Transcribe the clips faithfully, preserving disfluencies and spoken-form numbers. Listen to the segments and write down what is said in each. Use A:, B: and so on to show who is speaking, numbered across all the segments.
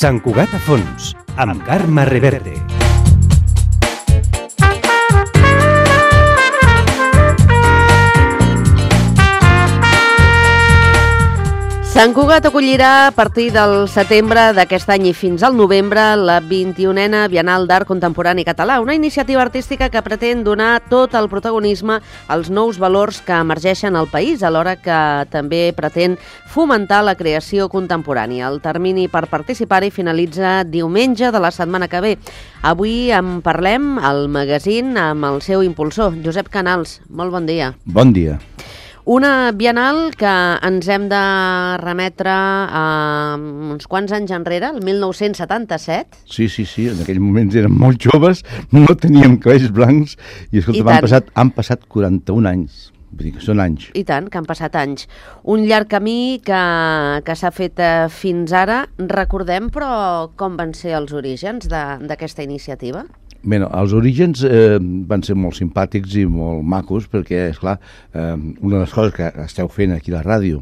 A: Sant Cugat a fons, amb Carme Reverte.
B: Sant Cugat acollirà a partir del setembre d'aquest any i fins al novembre la vint-i-unena Bienal d'Art Contemporani Català, una iniciativa artística que pretén donar tot el protagonisme als nous valors que emergeixen al país, alhora que també pretén fomentar la creació contemporània. El termini per participar-hi finalitza diumenge de la setmana que ve. Avui en parlem al magazín amb el seu impulsor, Josep Canals. Molt bon dia.
C: Bon dia.
B: Una Bienal que ens hem de remetre a uns quants anys enrere, el mil nou-cents setanta-set.
C: Sí, sí, sí, en aquells moments érem molt joves, no teníem cabells blancs i, escolta, I han, passat, han passat quaranta-un anys. Vull dir que són anys.
B: I tant, que han passat anys. Un llarg camí que, que s'ha fet fins ara. Recordem, però, com van ser els orígens d'aquesta iniciativa?
C: Bé, no, els orígens eh, van ser molt simpàtics i molt macos perquè, esclar, eh, una de les coses que esteu fent aquí a la ràdio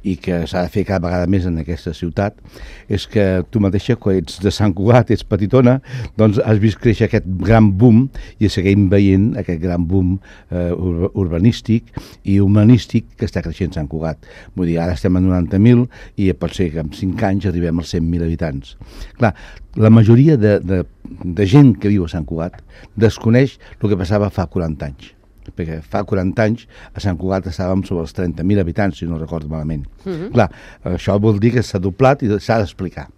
C: i que s'ha de fer cada vegada més en aquesta ciutat és que tu mateixa, quan ets de Sant Cugat, ets petitona, doncs has vist créixer aquest gran boom i seguim veient aquest gran boom eh, ur urbanístic i humanístic que està creixent Sant Cugat. Vull dir, ara estem a noranta mil i pot ser que en cinc anys arribem als cent mil habitants. Clar, la majoria de, de, de gent que viu a Sant Cugat desconeix el que passava fa quaranta anys. Perquè fa quaranta anys a Sant Cugat estàvem sobre els trenta mil habitants, si no recordo malament. Uh-huh. Clar, això vol dir que s'ha doblat i s'ha d'explicar.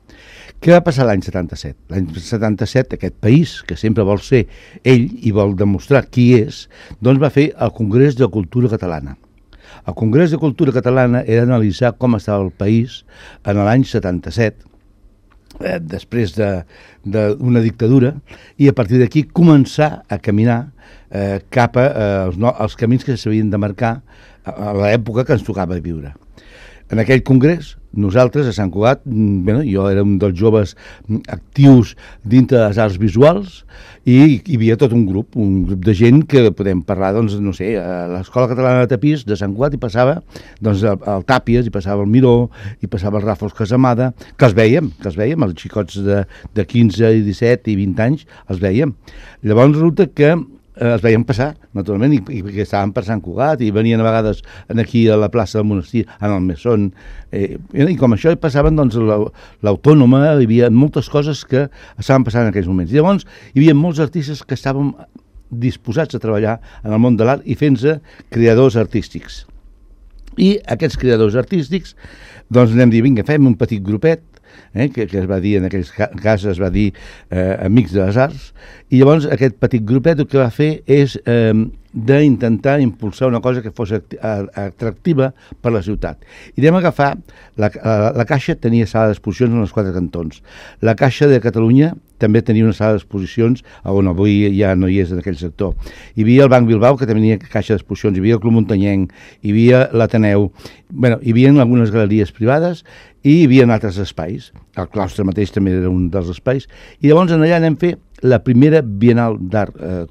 C: Què va passar l'any setanta-set? L'any setanta-set, aquest país, que sempre vol ser ell i vol demostrar qui és, doncs va fer el Congrés de Cultura Catalana. El Congrés de Cultura Catalana era analitzar com estava el país en l'any setanta-set, Eh, després d'una dictadura, i a partir d'aquí començar a caminar eh, cap a eh, els, no, els camins que s'havien de marcar a, a l'època que ens tocava viure. En aquell congrés, nosaltres a Sant Cugat, bueno, jo era un dels joves actius dintre de les arts visuals i hi havia tot un grup, un grup de gent que podem parlar, doncs, no sé, a l'Escola Catalana de Tapís de Sant Cugat hi passava doncs, el, el Tàpies, hi passava el Miró, hi passava el Ràfols Casamada, que els veiem, que els veiem, els xicots de, de quinze, disset i vint anys, els veiem. Llavors resulta que Eh, els veiem passar, naturalment, i, i que estaven per Sant Cugat i venien a vegades aquí a la plaça del monestir, en el Mesón, eh, i com això hi passaven doncs, l'Autònoma, hi havia moltes coses que estaven passant en aquells moments. I llavors hi havia molts artistes que estàvem disposats a treballar en el món de l'art i fent-se creadors artístics. I aquests creadors artístics, doncs anem a dir, vinga, fem un petit grupet, Eh, que, que es va dir, en aquells casos es va dir eh, Amics de les Arts, i llavors aquest petit grupet el que va fer és eh, d'intentar impulsar una cosa que fos atractiva per la ciutat. I anem a agafar, la, la, la Caixa tenia sala d'exposicions en els quatre cantons. La Caixa de Catalunya també tenia una sala d'exposicions on avui ja no hi és en aquell sector. Hi havia el Banc Bilbao, que tenia caixa d'exposicions, hi havia el Club Muntanyenc, hi havia l'Ateneu, bueno, hi havia algunes galeries privades i hi havia altres espais. El claustre mateix també era un dels espais. I llavors allà anem a fer la primera Bienal d'Art eh,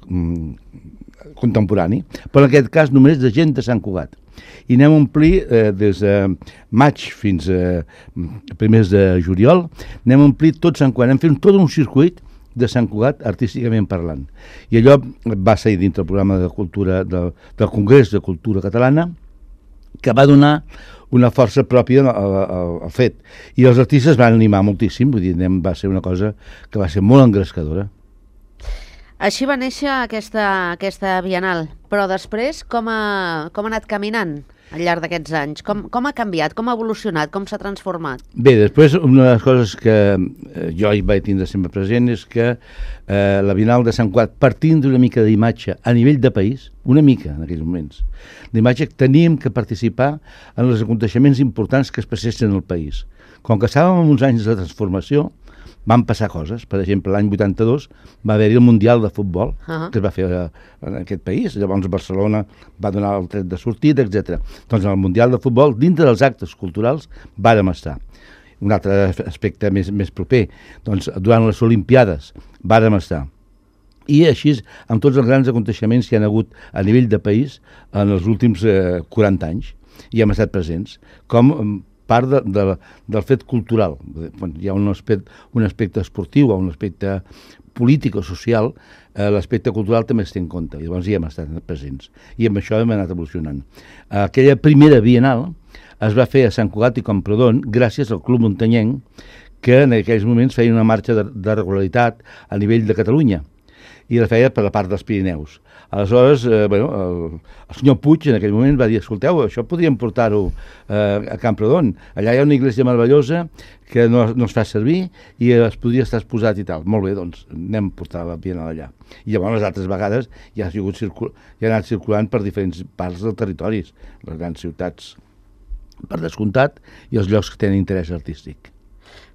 C: contemporani, però en aquest cas només de gent de Sant Cugat. I anem a omplir eh, des de maig fins a primers de juliol, anem a omplir tot Sant Cugat, anem fent tot un circuit de Sant Cugat artísticament parlant. I allò va ser dintre del programa de cultura del, del Congrés de Cultura Catalana, que va donar una força pròpia al, al, al fet. I els artistes van animar moltíssim, vull dir, va ser una cosa que va ser molt engrescadora.
B: Així va néixer aquesta, aquesta Bienal, però després com ha, com ha anat caminant al llarg d'aquests anys? Com, com ha canviat, com ha evolucionat, com s'ha transformat?
C: Bé, després una de les coses que eh, jo hi vaig tindre sempre present és que eh, la Bienal de Sant Cugat, partint d'una mica d'imatge a nivell de país, una mica en aquells moments, d'imatge que teníem que participar en els aconteixements importants que es passessin al país. Com que estàvem en uns anys de transformació, van passar coses. Per exemple, l'any vuitanta-dos va haver-hi el Mundial de Futbol, uh-huh. que es va fer en aquest país. Llavors Barcelona va donar el tret de sortida, etcètera. Doncs en el Mundial de Futbol, dintre dels actes culturals, vàrem estar. Un altre aspecte més, més proper, doncs durant les Olimpiades vàrem estar. I així, amb tots els grans aconteixements que hi ha hagut a nivell de país en els últims eh, quaranta anys, i hem estat presents. Com part de, de, del fet cultural. Hi ha un aspecte, un aspecte esportiu o un aspecte polític o social, eh, l'aspecte cultural també es té en compte, i llavors hi hem estat presents. I amb això hem anat evolucionant. Aquella primera Bienal es va fer a Sant Cugat i Camprodon gràcies al Club Muntanyenc, que en aquells moments feia una marxa de, de regularitat a nivell de Catalunya, i la feia per la part dels Pirineus. Aleshores, eh, bueno, el, el senyor Puig en aquell moment va dir, escolteu, això podríem portar-ho eh, a Camprodon. Allà hi ha una iglesia meravellosa que no, no es fa servir i es podria estar exposat i tal. Molt bé, doncs anem a portar la Bienal allà. I llavors les altres vegades ja ha, sigut circul... ja ha anat circulant per diferents parts del territori, les grans ciutats per descomptat i els llocs que tenen interès artístic.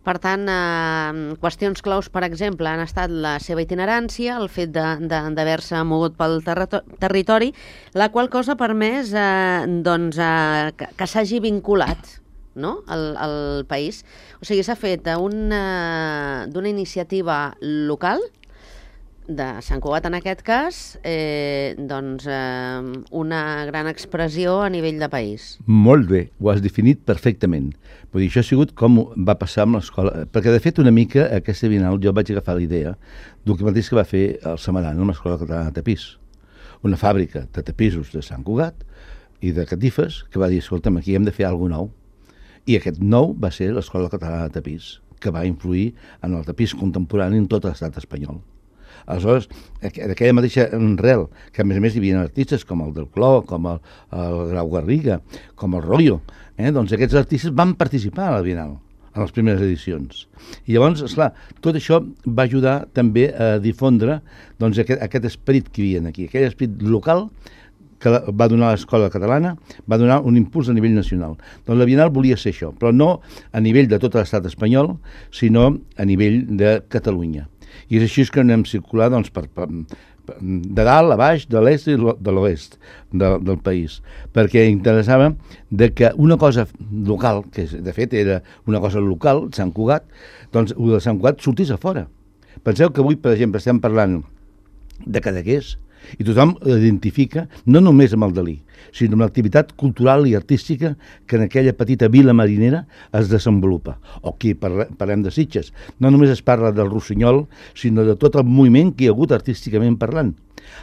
B: Per tant, eh, qüestions claus, per exemple, han estat la seva itinerància, el fet d'haver-se mogut pel territori, la qual cosa ha permès eh, doncs, eh, que, que s'hagi vinculat, no?, al, al país. O sigui, s'ha fet d'una iniciativa local, de Sant Cugat en aquest cas, eh, doncs eh, una gran expressió a nivell de país.
C: Molt bé, ho has definit perfectament. Vull dir, això ha sigut com va passar amb l'escola, perquè de fet una mica aquesta Bienal jo vaig agafar la idea del mateix que va fer el Samaran amb l'Escola Catalana de Tapís, una fàbrica de tapissos de Sant Cugat i de catifes que va dir, escolta'm, aquí hem de fer alguna cosa nou. I aquest nou va ser l'Escola Catalana de Tapís, que va influir en el tapís contemporani en tot l'estat espanyol. Aleshores, d'aquella mateixa arrel, que a més a més hi havia artistes com el del Cló, com el, el Grau Garriga, com el Rollo, eh? doncs aquests artistes van participar a la Bienal, en les primeres edicions. I llavors, esclar, tot això va ajudar també a difondre doncs, aquest, aquest esperit que hi havia aquí, aquell esperit local que va donar l'escola catalana, va donar un impuls a nivell nacional. Doncs la Bienal volia ser això, però no a nivell de tot l'estat espanyol, sinó a nivell de Catalunya. I és així que anem circular doncs, per, per, per, de dalt a baix, de l'est i de l'oest de, del país, perquè interessava de que una cosa local, que de fet era una cosa local, Sant Cugat, doncs el de Sant Cugat sortís a fora. Penseu que avui, per exemple, estem parlant de Cadaqués, i tothom l'identifica no només amb el Dalí, sinó amb l'activitat cultural i artística que en aquella petita vila marinera es desenvolupa. O aquí parlem de Sitges. No només es parla del Rossinyol, sinó de tot el moviment que hi ha hagut artísticament parlant.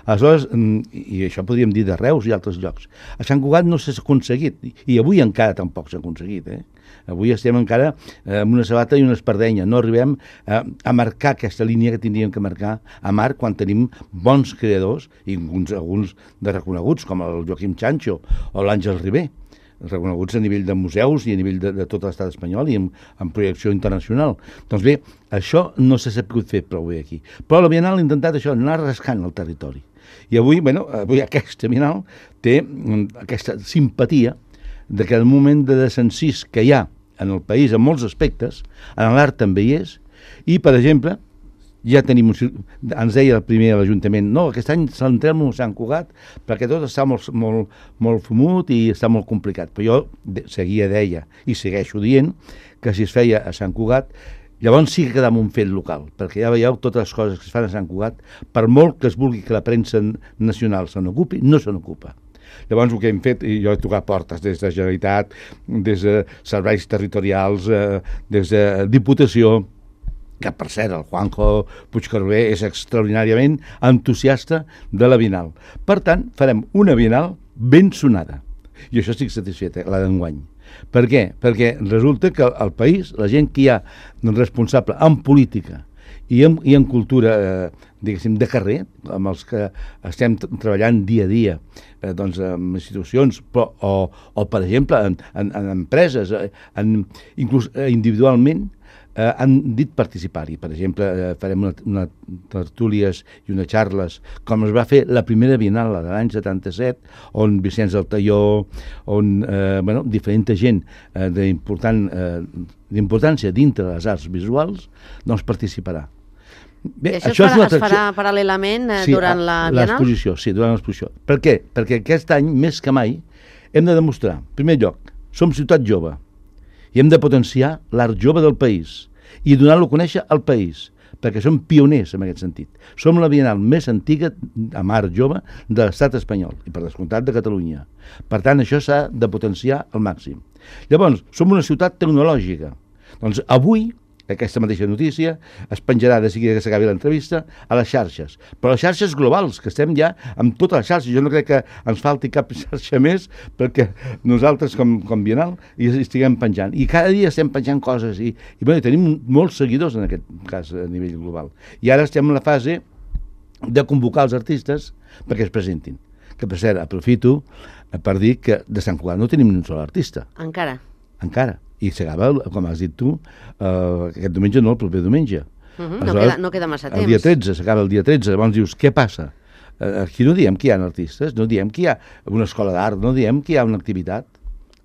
C: Aleshores, i això podríem dir de Reus i altres llocs, a Sant Cugat no s'ha aconseguit, i avui encara tampoc s'ha aconseguit, eh? Avui estem encara amb una sabata i una espardenya. No arribem a, a marcar aquesta línia que tindríem que marcar a mar quan tenim bons creadors, i alguns, alguns de reconeguts, com el Joaquim Chancho o l'Àngel Ribé, reconeguts a nivell de museus i a nivell de, de tot l'estat espanyol i en, en projecció internacional. Doncs bé, això no s'ha sabut fer prou bé aquí. Però la Bienal ha intentat això, anar rascant el territori. I avui, bueno, avui aquesta Bienal té aquesta simpatia de que el moment de desencís que hi ha en el país en molts aspectes, en l'art també hi és, i, per exemple, ja tenim un, ens deia el primer a l'Ajuntament, no, aquest any centrem-nos a Sant Cugat perquè tot està molt, molt, molt fumut i està molt complicat. Però jo de, seguia, deia, i segueixo dient, que si es feia a Sant Cugat, llavors sí que quedava un fet local, perquè ja veieu totes les coses que es fan a Sant Cugat, per molt que es vulgui que la premsa nacional se n'ocupi, no se n'ocupa. Llavors el que hem fet, i jo he tocat portes des de Generalitat, des de serveis territorials, eh, des de Diputació, que per cert el Juanjo Puigcarver és extraordinàriament entusiasta de la Bienal. Per tant, farem una Bienal ben sonada. I això estic satisfet, eh, la d'enguany. Per què? Perquè resulta que el país, la gent que hi ha responsable en política i en, i en cultura, eh, diguéssim, de carrer, amb els que estem treballant dia a dia, eh, doncs, en institucions, però, o, o, per exemple, en, en, en empreses, en, inclús individualment, eh, han dit participar-hi. Per exemple, eh, farem una, una tertúlies i unes xarles, com es va fer la primera Bienal de l'any setanta-set, on Vicenç del Talló, on eh, bueno, diferent gent eh, d'important, eh, d'importància dintre de les arts visuals, doncs participarà.
B: Bé, I això, això es farà, es farà paral·lelament eh, sí, durant la Bienal?
C: L'exposició, sí, durant l'exposició. Per què? Perquè aquest any, més que mai, hem de demostrar, en primer lloc, som ciutat jove i hem de potenciar l'art jove del país i donar-lo a conèixer al país, perquè som pioners en aquest sentit. Som la Bienal més antiga amb art jove de l'estat espanyol i, per descomptat, de Catalunya. Per tant, això s'ha de potenciar al màxim. Llavors, som una ciutat tecnològica. Doncs avui, aquesta mateixa notícia es penjarà de seguida que s'acabi l'entrevista a les xarxes, però les xarxes globals, que estem ja amb totes les xarxes. Jo no crec que ens falti cap xarxa més perquè nosaltres com, com Bienal hi estiguem penjant, i cada dia estem penjant coses i, i bé, tenim molts seguidors en aquest cas a nivell global, i ara estem en la fase de convocar els artistes perquè es presentin, que per cert aprofito per dir que de Sant Cugat no tenim ni un sol artista
B: encara
C: encara i s'acaba, com has dit tu, uh, aquest diumenge no, el proper diumenge.
B: Uh -huh, no, queda, no queda massa temps.
C: El dia tretze, s'acaba el dia tretze, llavors dius, què passa? Uh, aquí no diem que hi ha artistes, no diem que hi ha una escola d'art, no diem que hi ha una activitat.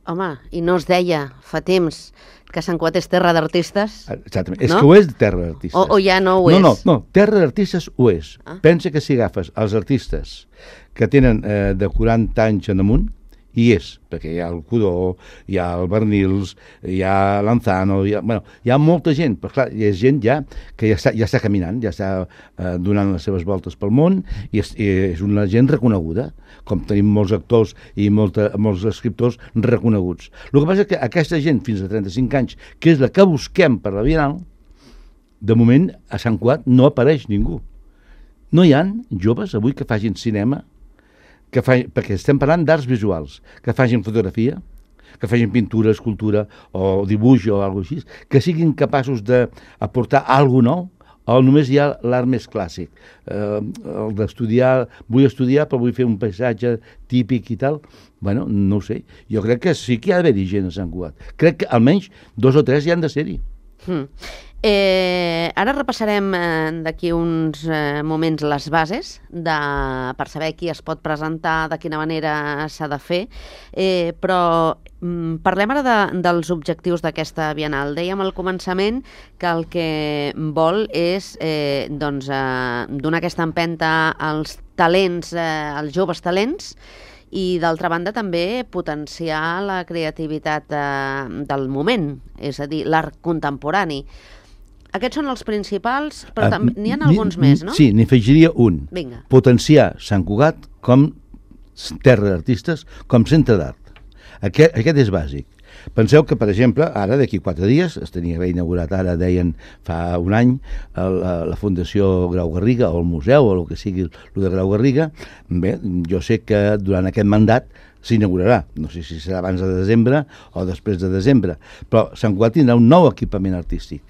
B: Home, i no es deia fa temps que Sant Cugat és terra d'artistes?
C: Exactament,
B: no?
C: És que ho és terra d'artistes.
B: O, o ja no ho
C: no,
B: és?
C: No, no, terra d'artistes ho és.
B: Ah.
C: Pensa que si agafes els artistes que tenen eh, de quaranta anys en amunt, i és, perquè hi ha el Cudó, hi ha el Bernils, hi ha l'Anzano, hi ha, bueno, hi ha molta gent, però clar, hi ha gent ja que ja està, ja està caminant, ja està eh, donant les seves voltes pel món, i és, i és una gent reconeguda, com tenim molts actors i molta, molts escriptors reconeguts. El que passa és que aquesta gent fins a trenta-cinc anys, que és la que busquem per la Bienal, de moment a Sant Cugat no apareix ningú. No hi ha joves avui que facin cinema, que fa, perquè estem parlant d'arts visuals, que facin fotografia, que facin pintura, escultura o dibuix o alguna cosa així, que siguin capaços d'aportar alguna nou, o només hi ha l'art més clàssic. Eh, el d'estudiar, vull estudiar però vull fer un paisatge típic i tal. Bueno, no ho sé. Jo crec que sí que hi ha d'haver-hi gent a Sant Cugat. Crec que almenys dos o tres hi han de ser-hi.
B: Hmm. Eh, ara repassarem eh, d'aquí uns eh, moments les bases de, per saber qui es pot presentar, de quina manera s'ha de fer, eh, però mm, parlem ara de, dels objectius d'aquesta Bienal. Dèiem al començament que el que vol és eh, doncs, eh, donar aquesta empenta als talents, eh, als joves talents, i d'altra banda també potenciar la creativitat eh, del moment, és a dir, l'art contemporani. Aquests són els principals, però uh, n'hi ha alguns més, no?
C: Sí, n'hi afegiria un.
B: Vinga.
C: Potenciar Sant Cugat com terra d'artistes, com centre d'art. Aquest, aquest és bàsic. Penseu que, per exemple, ara, d'aquí quatre dies, es tenia reinaugurat ara, deien, fa un any, la, la Fundació Grau Garriga, o el museu, o el que sigui, el de Grau Garriga. Bé, jo sé que durant aquest mandat s'inaugurarà. No sé si serà abans de desembre o després de desembre, però Sant Cugat tindrà un nou equipament artístic.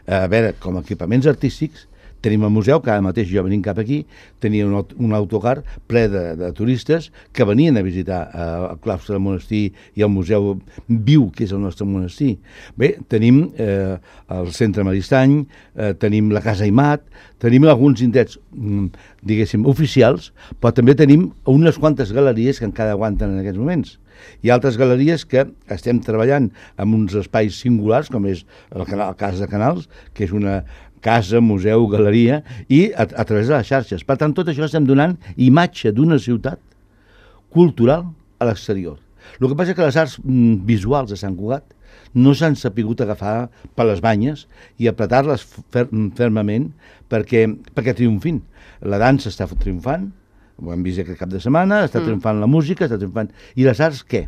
C: A veure, com a equipaments artístics, tenim el museu, que ara mateix jo venint cap aquí, tenia un, un autocar ple de, de turistes que venien a visitar eh, el claustre del monestir i el museu viu, que és el nostre monestir. Bé, tenim eh, el centre Maristany, eh, tenim la Casa Aimat, tenim alguns indrets, mm, diguéssim, oficials, però també tenim unes quantes galeries que encara aguanten en aquests moments. Hi ha altres galeries que estem treballant en uns espais singulars, com és el, canal, el cas de Canals, que és una casa, museu, galeria, i a, a través de les xarxes. Per tant, tot això estem donant imatge d'una ciutat cultural a l'exterior. El que passa és que les arts mm, visuals de Sant Cugat no s'han sapigut agafar per les banyes i apretar-les fer, fermament perquè, perquè triomfin. La dansa està triomfant, ho hem vist aquest cap de setmana, està mm. triomfant la música, està triomfant... I les arts què?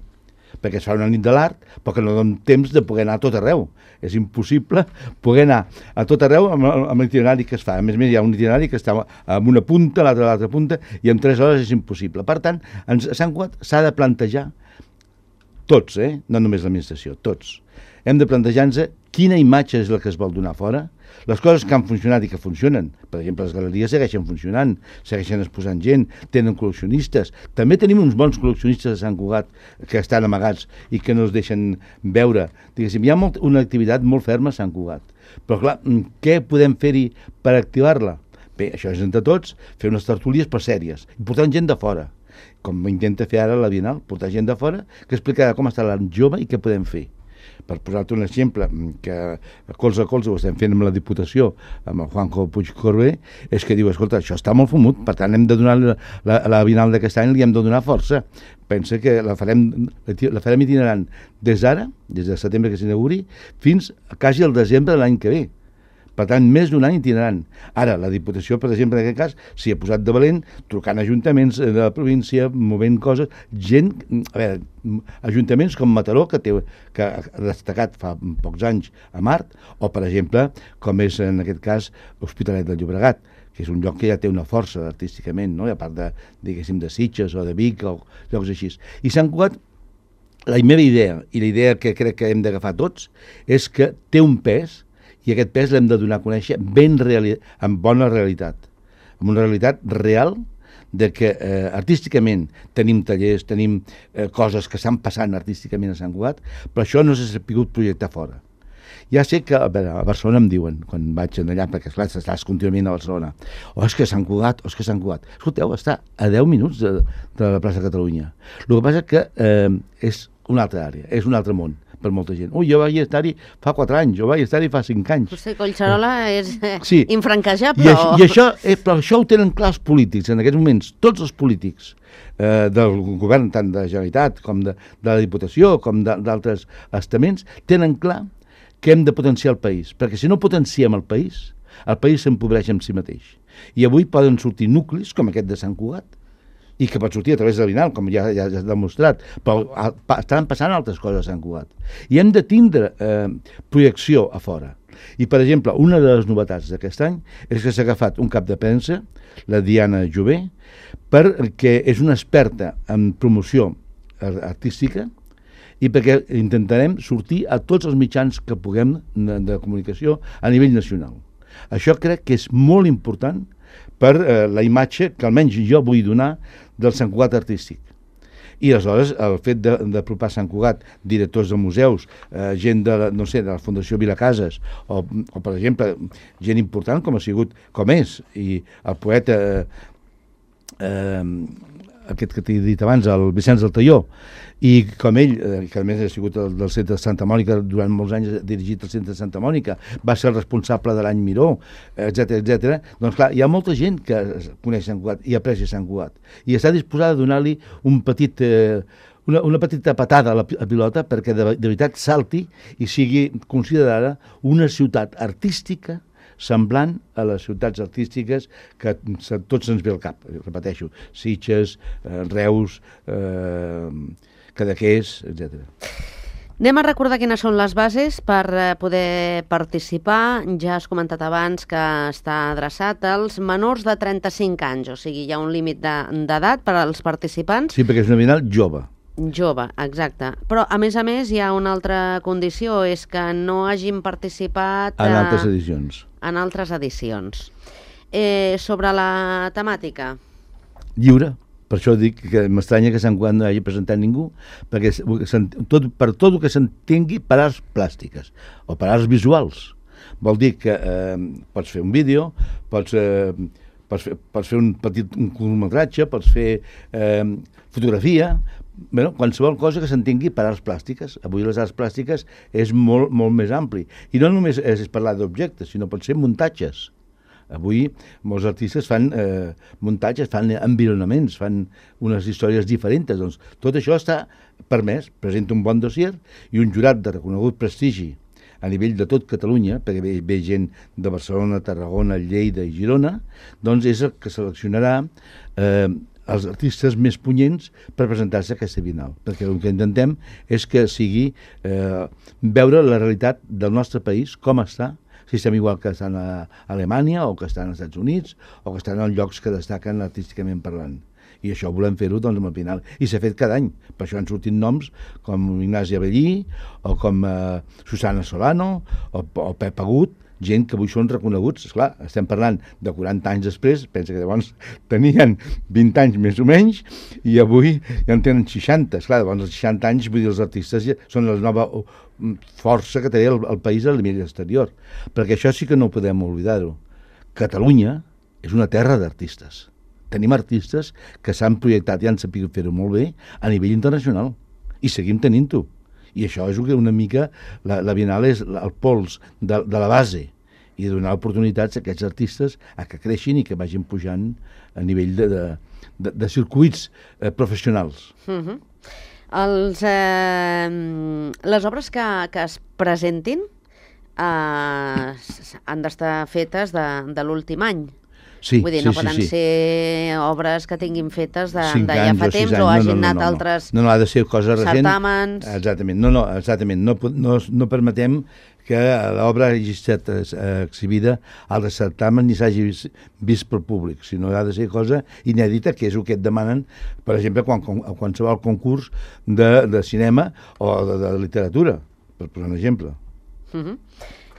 C: Perquè es fa una nit de l'art, però que no donen temps de poder anar a tot arreu. És impossible poder anar a tot arreu amb, amb l'itinerari que es fa. A més a més, hi ha un itinerari que està en una punta, l'altra a l'altra punta, i en tres hores és impossible. Per tant, a Sant Cugat s'ha de plantejar, tots, eh? No només l'administració, tots. Hem de plantejar-nos quina imatge és la que es vol donar fora, les coses que han funcionat i que funcionen. Per exemple, les galeries segueixen funcionant, segueixen exposant gent, tenen col·leccionistes. També tenim uns bons col·leccionistes de Sant Cugat que estan amagats i que no es deixen veure. Diguéssim, hi ha molt, una activitat molt ferma a Sant Cugat. Però clar, què podem fer-hi per activar-la? Bé, això és entre tots, fer unes tertúlies per sèries i portar gent de fora, com intenta fer ara la Bienal, portar gent de fora que explicarà com està l'art jove i què podem fer. Per posar-te un exemple, que colze a colze ho estem fent amb la Diputació, amb el Juanjo Puig Corbé, és que diu, escolta, això està molt fumut, per tant hem de donar la, la, la Bienal d'aquest any, li hem de donar força. Pensa que la farem, la farem itinerant des d'ara, des de setembre que s'inauguri, fins quasi al desembre de l'any que ve. Per tant, més d'un any tindran. Ara, la Diputació, per exemple, en aquest cas, s'hi ha posat de valent, trucant ajuntaments de la província, movent coses, gent, a veure, ajuntaments com Mataró, que, té, que ha destacat fa pocs anys a Mart, o, per exemple, com és en aquest cas Hospitalet del Llobregat, que és un lloc que ja té una força artísticament, no? A part de, diguéssim, de Sitges o de Vic o llocs així. I Sant Cugat, la meva idea, i la idea que crec que hem d'agafar tots, és que té un pes, i aquest pes l'hem de donar a conèixer ben reali amb bona realitat, amb una realitat real de que eh, artísticament tenim tallers, tenim eh, coses que estan passant artísticament a Sant Cugat, però això no s'ha sabut projectar fora. Ja sé que a, veure, a Barcelona em diuen, quan vaig allà, perquè esclar, estàs contínuament a Barcelona, o oh, és que Sant Cugat, o oh, és que Sant Cugat. Escolteu, està a deu minuts de, de la plaça Catalunya. El que passa que eh, és una altra àrea, és un altre món per molta gent. Ui, jo vaig estar-hi fa quatre anys, jo vaig estar-hi fa cinc anys.
B: Potser Collserola és eh,
C: sí.
B: infranquejable.
C: I, això, i això, eh, però això ho tenen clar els polítics, en aquests moments, tots els polítics eh, del govern, tant de la Generalitat com de, de la Diputació, com d'altres estaments, tenen clar que hem de potenciar el país, perquè si no potenciem el país, el país s'empobreix en si mateix. I avui poden sortir nuclis, com aquest de Sant Cugat, i que pot sortir a través de Vinal, com ja, ja s'ha demostrat, però a, pa, estan passant altres coses a Sant Cugat. I hem de tindre eh, projecció a fora. I, per exemple, una de les novetats d'aquest any és que s'ha agafat un cap de premsa, la Diana Jové, perquè és una experta en promoció artística i perquè intentarem sortir a tots els mitjans que puguem de, de comunicació a nivell nacional. Això crec que és molt important per eh, la imatge que almenys jo vull donar del Sant Cugat artístic. I aleshores el fet d'apropar Sant Cugat, directors de museus, eh, gent de, la, no sé, de la Fundació Vilacases, o, o per exemple, gent important com ha sigut, com és, i el poeta, eh, eh, aquest que t'he dit abans, el Vicenç del Talló, i com ell, eh, que a més ha sigut el, del centre de Santa Mònica, durant molts anys dirigit el centre de Santa Mònica, va ser el responsable de l'any Miró, etcètera, etcètera. Doncs clar, hi ha molta gent que coneix Sant Cugat i aprecia Sant Cugat, i està disposada a donar-li un petit, eh, una, una petita patada a la a pilota perquè de, de veritat salti i sigui considerada una ciutat artística semblant a les ciutats artístiques que tots ens ve al cap, repeteixo, Sitges, eh, Reus, eh, Cadaqués, etcètera.
B: Anem a recordar quines són les bases per poder participar. Ja has comentat abans que està adreçat als menors de trenta-cinc anys, o sigui, hi ha un límit d'edat per als participants.
C: Sí, perquè és una Bienal jove.
B: Jove, exacte. Però, a més a més, hi ha una altra condició, és que no hagin participat...
C: En altres edicions.
B: En altres edicions. Eh, sobre la temàtica?
C: Lliure. Per això dic que m'estranya que Sant Cugat no hagi presentat ningú, perquè tot, per tot el que s'entengui per arts plàstiques o per arts visuals. Vol dir que eh, pots fer un vídeo, pots, eh, pots, fer, pots fer un petit un curtmetratge, pots fer eh, fotografia, bueno, qualsevol cosa que s'entengui per arts plàstiques. Avui les arts plàstiques és molt, molt més ampli. I no només és parlar d'objectes, sinó pot ser muntatges. Avui molts artistes fan eh, muntatges, fan environaments, fan unes històries diferents. Doncs tot això està permès, presenta un bon dossier i un jurat de reconegut prestigi a nivell de tot Catalunya, perquè ve, ve gent de Barcelona, Tarragona, Lleida i Girona, doncs és el que seleccionarà eh, els artistes més punyents per presentar-se a aquesta Bienal, perquè el que intentem és que sigui eh, veure la realitat del nostre país, com està, si estem igual que estan a Alemanya o que estan als Estats Units o que estan en llocs que destaquen artísticament parlant. I això volem fer-ho doncs, amb el Bienal. I s'ha fet cada any. Per això han sortit noms com Ignasi Abellí o com eh, Susana Solano o, o Pep Agut, gent que avui són reconeguts. Esclar, estem parlant de quaranta anys després, pensa que llavors tenien vint anys més o menys, i avui ja en tenen seixanta. Esclar, llavors els seixanta anys, vull dir, els artistes ja són la nova força que té el, el país a nivell exterior. Perquè això sí que no podem oblidar-ho. Catalunya és una terra d'artistes. Tenim artistes que s'han projectat i han sabut fer-ho molt bé a nivell internacional. I seguim tenint-ho. I això és que una mica, la, la Bienal és el pols de, de la base i de donar oportunitats a aquests artistes a que creixin i que vagin pujant a nivell de, de, de, de circuits eh, professionals.
B: Uh-huh. Els, eh, les obres que, que es presentin uh, han d'estar fetes de, de l'últim any.
C: Sí,
B: Vull dir,
C: sí,
B: no
C: sí,
B: poden
C: sí.
B: ser obres que tinguin fetes de,
C: Cinc
B: de ja
C: anys
B: fa
C: o sis
B: temps
C: anys.
B: o
C: No,
B: hagin
C: no, no,
B: anat
C: no, no.
B: altres
C: No, no, ha de ser cosa recent.
B: certàmens.
C: Exactament, no, no, exactament. No, po- no, no permetem que l'obra hagi estat eh, exhibida al certamen ni s'hagi vist, vist pel públic, sinó ha de ser cosa inèdita, que és el que et demanen, per exemple, quan, quan, a qualsevol concurs de, de cinema o de, de literatura, per posar un exemple.
B: Uh -huh.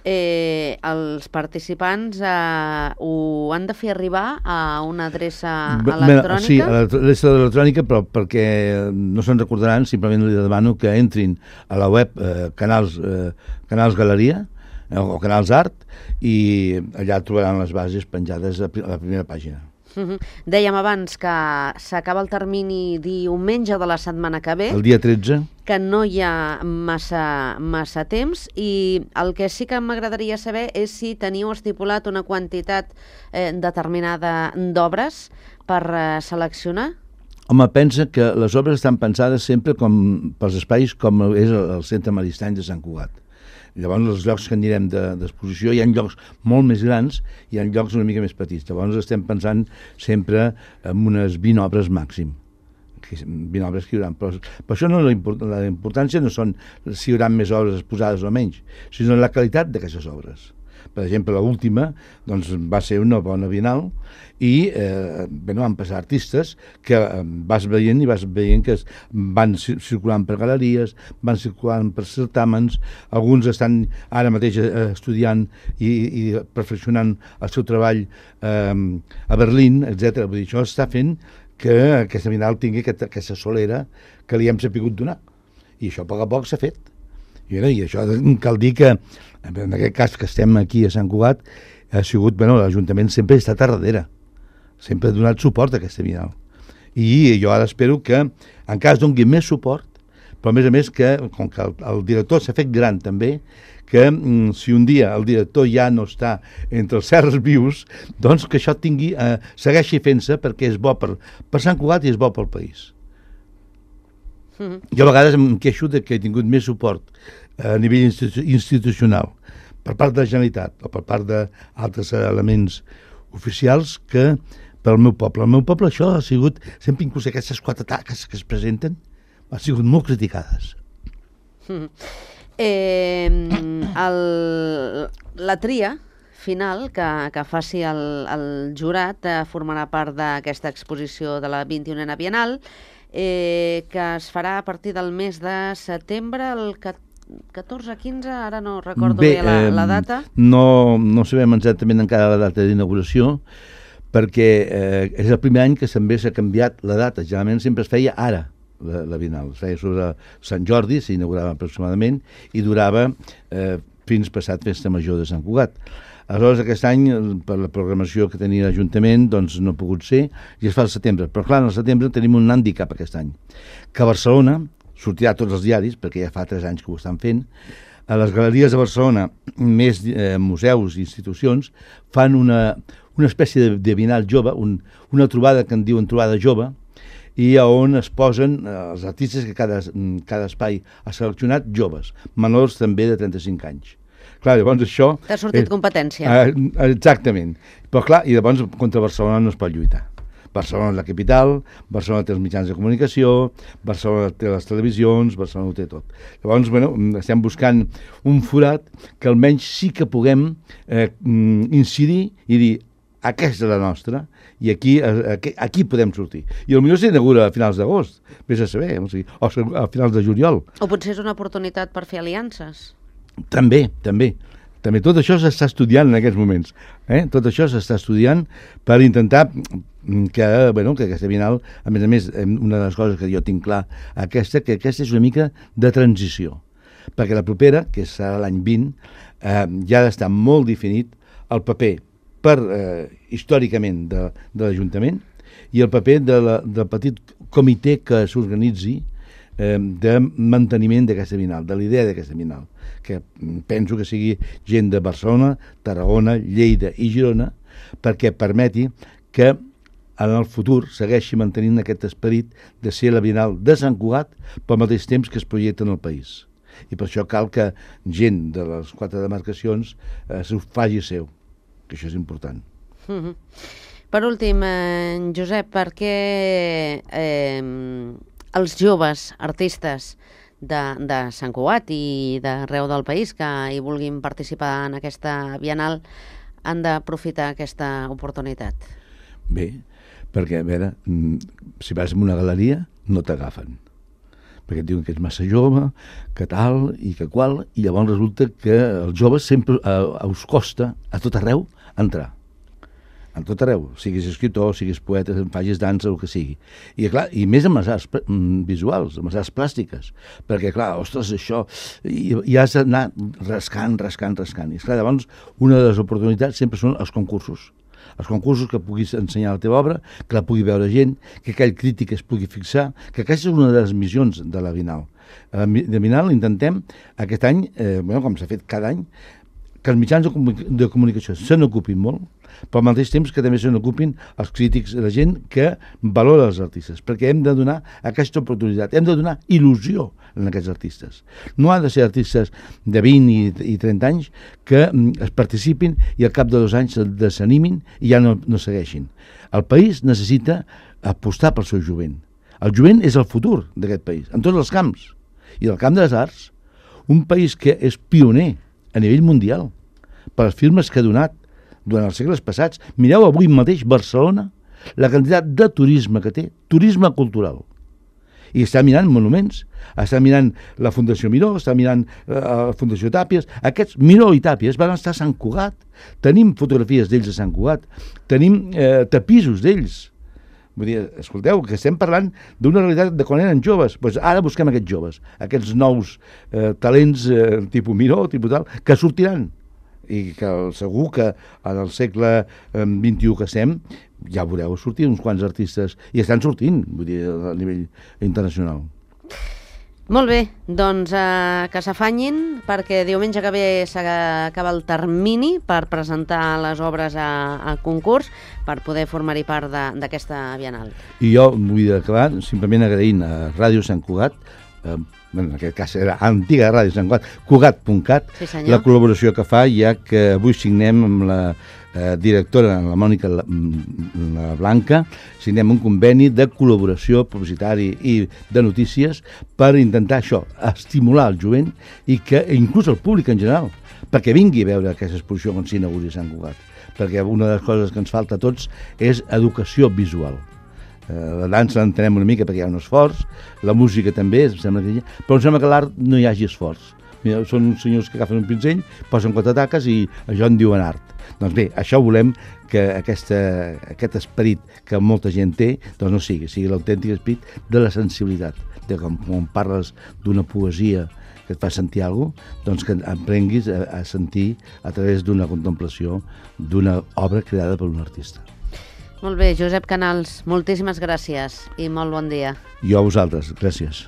B: eh, els participants eh, ho han de fer arribar a una adreça
C: Bé,
B: electrònica?
C: Sí, a l'adreça electrònica, però perquè no se'n recordaran, simplement li demano que entrin a la web eh, Canals, eh, Canals Galeria eh, o Canals Art, i allà trobaran les bases penjades a, pri- a la primera pàgina.
B: Uh -huh. Dèiem abans que s'acaba el termini diumenge de la setmana que ve,
C: El dia tretze,
B: que no hi ha massa, massa temps, i el que sí que m'agradaria saber és si teniu estipulat una quantitat eh, determinada d'obres per eh, seleccionar.
C: home, pensa que les obres estan pensades sempre com pels espais com és el, el Centre Maristany de Sant Cugat. Llavors, els llocs que anirem de, d'exposició, hi ha llocs molt més grans i hi ha llocs una mica més petits. Llavors, estem pensant sempre en unes vint obres màxim. vint obres que hi haurà. Però, però això no, la, import, la importància no són si hi haurà més obres exposades o menys, sinó la qualitat d'aquestes obres. Per exemple, l'última doncs, va ser una bona Bienal i eh, bueno, van passar artistes que eh, vas veient i vas veient que es, van circulant per galeries, van circulant per certàmens, alguns estan ara mateix eh, estudiant i, i perfeccionant el seu treball eh, a Berlín, etcètera. Vull dir, això està fent que aquesta Bienal tingui aquesta, aquesta solera que li hem sapigut donar. I això a poc a poc s'ha fet. I, I això cal dir que, en aquest cas que estem aquí a Sant Cugat, ha sigut, bueno, l'Ajuntament sempre ha estat a darrere, sempre ha donat suport a aquesta Bienal. I jo ara espero que encara es doni més suport, però a més a més que, com que el, el director s'ha fet gran també, que mm, si un dia el director ja no està entre els certs vius, doncs que això tingui, eh, segueixi fent-se perquè és bo per, per Sant Cugat i és bo pel país. Mm-hmm. Jo a vegades em queixo de que he tingut més suport a nivell institu institucional per part de la Generalitat o per part d'altres elements oficials que pel meu poble. El meu poble això ha sigut, sempre inclús aquestes quatre taques que es presenten, han sigut molt criticades.
B: Mm. Eh, el, la tria final que, que faci el, el jurat eh, formarà part d'aquesta exposició de la vint-i-unena Bienal, eh, que es farà a partir del mes de setembre, el catorze quinze, ara no recordo bé, bé la, la data.
C: No, no sabem exactament encara la data d'inauguració, perquè eh, és el primer any que també s'ha canviat la data. Generalment sempre es feia ara, la, la Bienal. Es feia sobre Sant Jordi, s'inaugurava aproximadament, i durava eh, fins passat Festa Major de Sant Cugat. Aleshores, aquest any, per la programació que tenia l'Ajuntament, doncs no ha pogut ser, i es fa al setembre. Però clar, al setembre tenim un hàndicap aquest any, que a Barcelona, sortirà a tots els diaris, perquè ja fa tres anys que ho estan fent, a les galeries de Barcelona, més eh, museus i institucions, fan una, una espècie de, de Bienal jove, un, una trobada que en diuen trobada jove, i on es posen eh, els artistes que cada, cada espai ha seleccionat joves, menors també de trenta-cinc anys. Clar, llavors això...
B: T'ha sortit eh, competència.
C: Eh, exactament. Però clar, i llavors contra Barcelona no es pot lluitar. Barcelona és la capital, Barcelona té els mitjans de comunicació, Barcelona té les televisions, Barcelona ho té tot. Llavors, bueno, estem buscant un forat que almenys sí que puguem eh, incidir i dir aquesta és la nostra i aquí, aquí, aquí podem sortir. I potser s'inaugura a finals d'agost, vés a saber, o, sigui, o a finals de juliol.
B: O potser és una oportunitat per fer aliances.
C: També, també. També tot això s'està estudiant en aquests moments. Eh? Tot això s'està estudiant per intentar que, bueno, que aquesta Bienal, a més a més, una de les coses que jo tinc clar, aquesta, que aquesta és una mica de transició. Perquè la propera, que serà l'any vint, eh, ja ha d'estar molt definit el paper per, eh, històricament de, de l'Ajuntament i el paper de la, del petit comitè que s'organitzi eh, de manteniment d'aquesta Bienal, de l'idea d'aquesta Bienal, que penso que sigui gent de Barcelona, Tarragona, Lleida i Girona, perquè permeti que en el futur segueixi mantenint aquest esperit de ser la Bienal de Sant Cugat, però al mateix temps que es projecta en el país. i per això cal que gent de les quatre demarcacions eh, s'ho faci seu, que això és important.
B: Mm-hmm. Per últim, eh, Josep, per què eh, els joves artistes de, de Sant Cugat i d'arreu del país que hi vulguin participar en aquesta Bienal han d'aprofitar aquesta oportunitat?
C: Bé, perquè, a veure, si vas a una galeria no t'agafen, perquè et diuen que ets massa jove, que tal i que qual, i llavors resulta que els joves sempre eh, us costa a tot arreu entrar. A tot arreu, siguis escriptor, siguis poeta, facis dansa, el que sigui. I, clar, i més amb les arts visuals, amb les arts plàstiques, perquè, clar, ostres, això, i, i has d'anar rascant, rascant, rascant. I, clar, llavors, una de les oportunitats sempre són els concursos. Els concursos que puguis ensenyar la teva obra, que la pugui veure gent, que aquell crític es pugui fixar, que aquesta és una de les missions de la Bienal. A la Bienal intentem, aquest any, eh, bueno, com s'ha fet cada any, que els mitjans de, comunic de comunicació se n'ocupin molt, però al mateix temps que també se n'ocupin els crítics, la gent que valora els artistes, perquè hem de donar aquesta oportunitat, hem de donar il·lusió en aquests artistes. No han de ser artistes de vint i, i trenta anys que mm, es participin i al cap de dos anys se desanimin i ja no, no segueixin. El país necessita apostar pel seu jovent. El jovent és el futur d'aquest país, en tots els camps. I el camp de les arts, un país que és pioner a nivell mundial, per les firmes que ha donat durant els segles passats. Mireu avui mateix Barcelona, la quantitat de turisme que té, turisme cultural. I està mirant monuments, està mirant la Fundació Miró, està mirant eh, la Fundació Tàpies. Aquests, Miró i Tàpies, van estar a Sant Cugat. Tenim fotografies d'ells a Sant Cugat, tenim eh, tapissos d'ells. Vull dir, escolteu, que estem parlant d'una realitat de quan eren joves. Pues ara busquem aquests joves, aquests nous eh, talents eh, tipus Miró, tipus tal, que sortiran. I que segur que en el segle eh, vint-i-u que estem, ja veureu sortir uns quants artistes, i estan sortint, vull dir, a nivell internacional.
B: Molt bé, doncs eh, que s'afanyin, perquè diumenge que ve s'acaba el termini per presentar les obres a, a concurs per poder formar-hi part d'aquesta Bienal.
C: I jo vull acabar simplement agraint a Ràdio Sant Cugat, eh, en aquest cas era antiga Ràdio Sant Cugat, cugat punt cat,
B: sí,
C: la col·laboració que fa, ja que avui signem amb la eh, directora, la Mònica la, la Blanca, signem un conveni de col·laboració publicitari i de notícies per intentar això, estimular el jovent i que inclús el públic en general, perquè vingui a veure aquesta exposició quan s'inauguri Sant Cugat, perquè una de les coses que ens falta a tots és educació visual. La dansa l'entenem una mica perquè hi ha un esforç, la música també, em sembla que hi ha, però em sembla que l'art no hi hagi esforç. Mira, són uns senyors que agafen un pinzell, posen quatre taques i això en diuen art. Doncs bé, això volem que aquesta, aquest esperit que molta gent té, doncs no sigui, sigui l'autèntic esperit de la sensibilitat, de com, quan parles d'una poesia que et fa sentir alguna cosa, doncs que aprenguis a, a sentir a través d'una contemplació d'una obra creada per un artista.
B: Molt bé, Josep Canals, moltíssimes gràcies i molt bon dia.
C: Jo a vosaltres, gràcies.